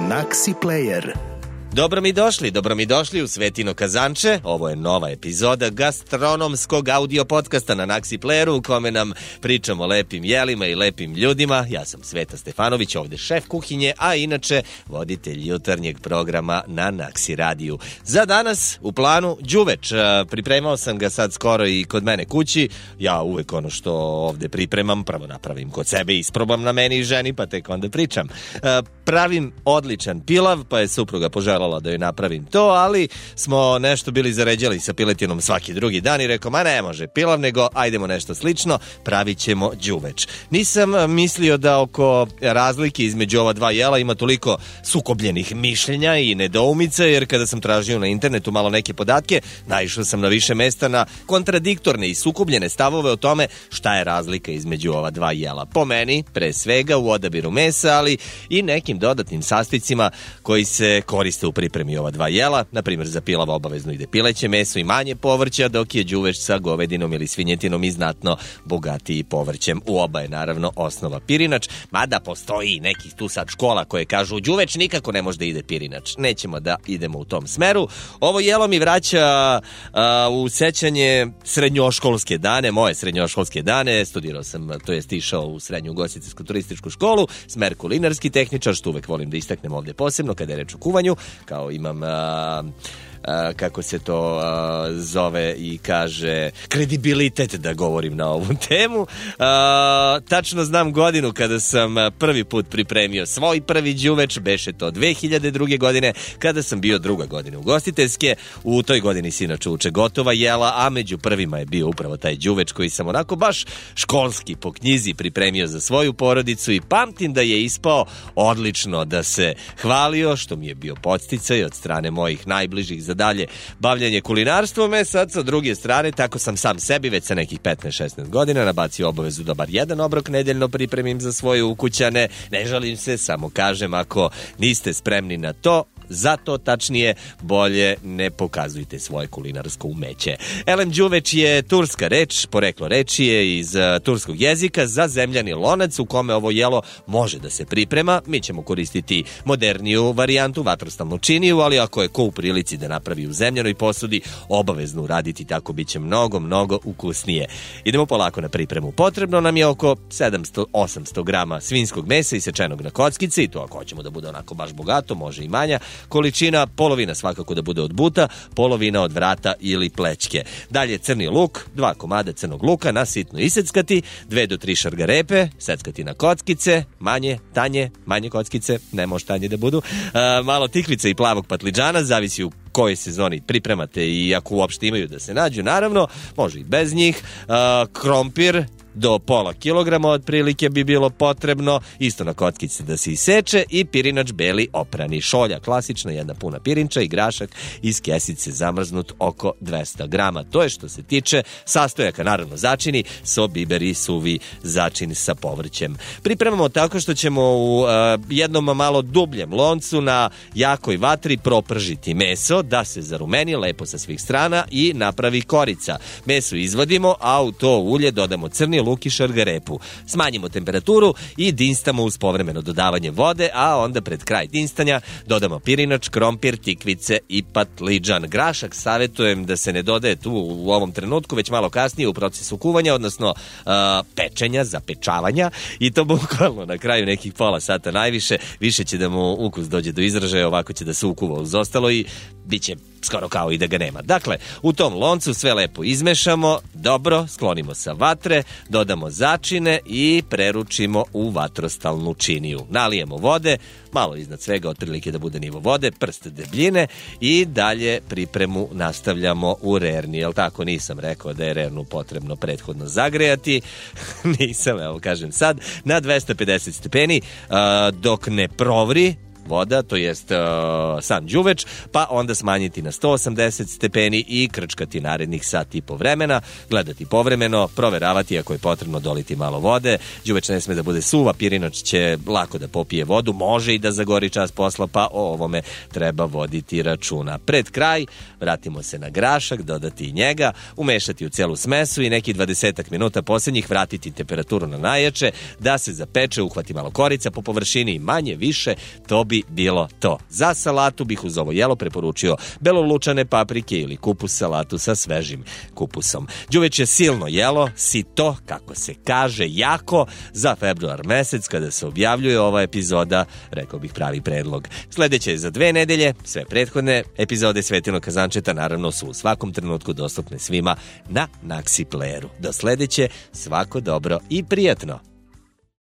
Naxi Player. Dobro mi došli u Svetino Kazanče. Ovo je nova epizoda gastronomskog audio podcasta na Naxi Playeru u kome nam pričamo o lepim jelima i lepim ljudima. Ja sam Sveta Stefanović, ovde šef kuhinje, a inače voditelj jutarnjeg programa na Naxi radiju. Za danas u planu đuveč. Pripremao sam ga sad skoro i kod mene kući. Ja uvek ono što ovde pripremam prvo napravim kod sebe, isprobam na meni i ženi, pa tek onda pričam. Pravim odličan pilav, pa je supruga poželjela da joj napravim to, ali smo nešto bili zaređali sa piletinom svaki drugi dan i rekao, ma ne može pilav, nego ajdemo nešto slično, pravit ćemo đuveč. Nisam mislio da oko razlike između ova dva jela ima toliko sukobljenih mišljenja i nedoumica, jer kada sam tražio na internetu malo neke podatke, naišao sam na više mesta na kontradiktorne i sukobljene stavove o tome šta je razlika između ova dva jela. Po meni, pre svega u odabiru mesa, ali i nekim dodatnim sastojcima koji se koriste u pripremi ova dva jela. Na primjer, za pilav obavezno ide pileće meso i manje povrća, dok je đuveč sa govedinom ili svinjetinom i znatno bogatiji povrćem. U oba je naravno osnova pirinač, mada postoji nekih tu sad škola koje kažu u đuveč nikako ne može da ide pirinač. Nećemo da idemo u tom smeru. Ovo jelo mi vraća u sećanje srednjoškolske dane, moje srednjoškolske dane. Studirao sam, to jest išao u srednju ugostiteljsku turističku školu, smer kulinarski tehničar, što uvek volim da istaknem ovde posebno kada je reč o kuvanju, kao imam kako se to zove i kaže, kredibilitet da govorim na ovu temu. Tačno znam godinu kada sam prvi put pripremio svoj prvi đuveč, beše to 2002. godine, kada sam bio druga godina ugostiteljske. U toj godini se inače uče gotova jela, a među prvima je bio upravo taj đuveč koji sam onako baš školski po knjizi pripremio za svoju porodicu i pamtim da je ispao odlično, da se hvalio, što mi je bio podsticaj od strane mojih najbližih za dalje bavljanje kulinarstvom. Sad sa druge strane, tako sam sam sebi već sa nekih 15-16 godina nabacio obavezu da bar jedan obrok nedeljno pripremim za svoje ukućane. Ne žalim se, samo kažem, ako niste spremni na to, zato tačnije bolje ne pokazujte svoje kulinarsko umeće. Elem, đuveč je turska reč, poreklo reči je iz turskog jezika za zemljani lonac u kome ovo jelo može da se priprema. Mi ćemo koristiti moderniju varijantu, vatrostalnu činiju, ali ako je ko u prilici da napravi u zemljanoj posudi, obavezno uraditi, tako bit će mnogo ukusnije. Idemo polako na pripremu. Potrebno nam je oko 700-800 grama svinjskog mesa isečenog na kockice, i to ako hoćemo da bude onako baš bogato, može i manja količina, polovina svakako da bude od buta, polovina od vrata ili plećke. Dalje crni luk, 2 komada crnog luka na sitno iseckati, 2 do 3 šargarepe, seckati na kockice, manje kockice, ne može tanje da budu, malo tikvice i plavog patliđana, zavisi u kojoj sezoni pripremate i ako uopšte imaju da se nađu, naravno, može i bez njih, krompir, do pola kilograma otprilike bi bilo potrebno, isto na kockice da se iseče, i pirinač beli oprani, šolja klasična, jedna puna pirinča i grašak iz kesice zamrznut oko 200 grama. To je što se tiče sastojaka, naravno začini, so, biber i suvi začin sa povrćem. Pripremamo tako što ćemo u jednom malo dubljem loncu na jakoj vatri propržiti meso da se zarumeni lepo sa svih strana i napravi korica. Meso izvadimo, a u to ulje dodamo crni luk i šargarepu. Smanjimo temperaturu i dinstamo uz povremeno dodavanje vode, a onda pred kraj dinstanja dodamo pirinač, krompir, tikvice i patliđan. Grašak savjetujem da se ne dodaje tu u ovom trenutku, već malo kasnije u procesu kuvanja, odnosno pečenja, zapečavanja, i to bukvalno na kraju nekih pola sata najviše. Više će da mu ukus dođe do izražaja, ovako će da se ukuva uz ostalo i bit će skoro kao i da ga nema. Dakle, u tom loncu sve lepo izmešamo, dobro, sklonimo sa vatre, dodamo začine i preručimo u vatrostalnu činiju. Nalijemo vode, malo iznad svega otprilike da bude nivo vode, prst debljine, i dalje pripremu nastavljamo u rerni. Jel tako? Nisam rekao da je rernu potrebno prethodno zagrejati. Nisam, evo kažem sad, na 250 stepeni dok ne provri voda, to jest sam đuveč, pa onda smanjiti na 180 stepeni i krčkati narednih sat i po vremena, gledati povremeno, proveravati ako je potrebno doliti malo vode. Đuveč ne sme da bude suva, pirinač će lako da popije vodu, može i da zagori čas posla, pa o ovome treba voditi računa. Pred kraj vratimo se na grašak, dodati i njega, umešati u celu smesu i neki 20 minuta posljednjih vratiti temperaturu na najjače, da se zapeče, uhvati malo korica po površini i manje više, to bi bi bilo to. Za salatu bih uz ovo jelo preporučio belolučane paprike ili kupus salatu sa svežim kupusom. Đuveč je silno jelo, sito, kako se kaže, jako, za februar mesec kada se objavljuje ova epizoda, rekao bih pravi predlog. Sledeće je za 2 nedelje, sve prethodne epizode Svetinog kazančeta naravno su u svakom trenutku dostupne svima na Naxi Playeru. Do sledeće, svako dobro i prijatno!